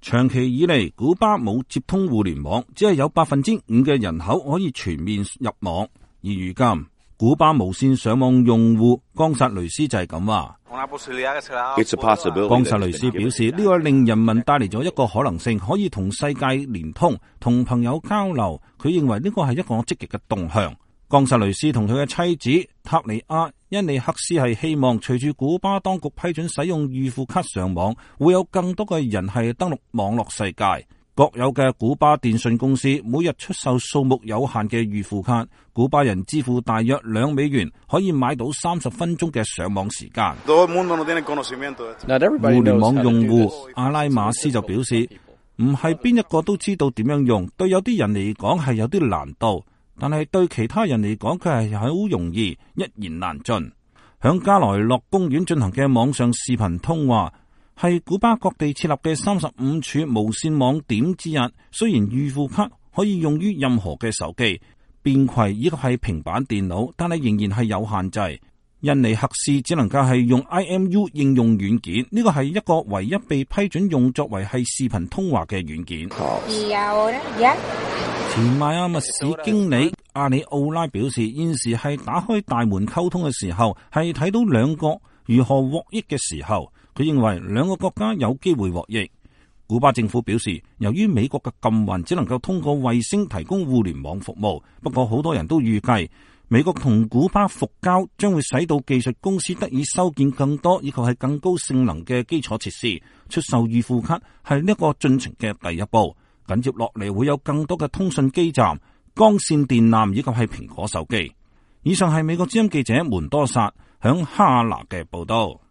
長期以嚟，古巴冇接通互聯網，只係有5%嘅人口可以全面入網。而如今，古巴無線上網用戶岡薩雷斯就係咁話。岡薩雷斯表示，呢個令人民帶嚟咗一個可能性，可以同世界連通，同朋友交流。佢認為呢個係一個積極嘅動向。岡薩雷斯同佢嘅妻子塔尼亞恩尼克斯係希望隨住古巴當局批准使用預付卡上網，會有更多嘅人係登錄網絡世界。國有嘅古巴電信公司每日出售數目有限嘅預付卡，古巴人支付大約$2可以買到30分鐘嘅上網時間。互聯網用戶阿拉馬斯就表示，唔係邊一個都知道點樣用，對有啲人嚟講係有啲難度。但係對其他人嚟講，佢係好容易，一言難盡。響加萊諾公園進行嘅網上視頻通話，係古巴各地設立嘅35處無線網點之一。雖然預付卡可以用於任何嘅手機、便攜以及係平板電腦，但係仍然係有限制。印尼克斯只能夠係用 IMU 應用軟件，呢個係一個唯一被批准用作為係視頻通話嘅軟件。前邁阿密市經理阿里奧拉表示，現時係打開大門溝通嘅時候，係睇到兩國如何獲益嘅時候。佢認為兩個國家有機會獲益。古巴政府表示，由於美國嘅禁運，只能夠通過衛星提供互聯網服務。不過好多人都預計，美國同古巴復交將會使到技術公司得以修建更多以及係更高性能嘅基礎設施。出售預付卡係呢個進程嘅第一步。緊接落嚟會有更多嘅通訊基站、光線電纜以及係蘋果手機。以上係美國之音記者門多薩響哈拿嘅報道。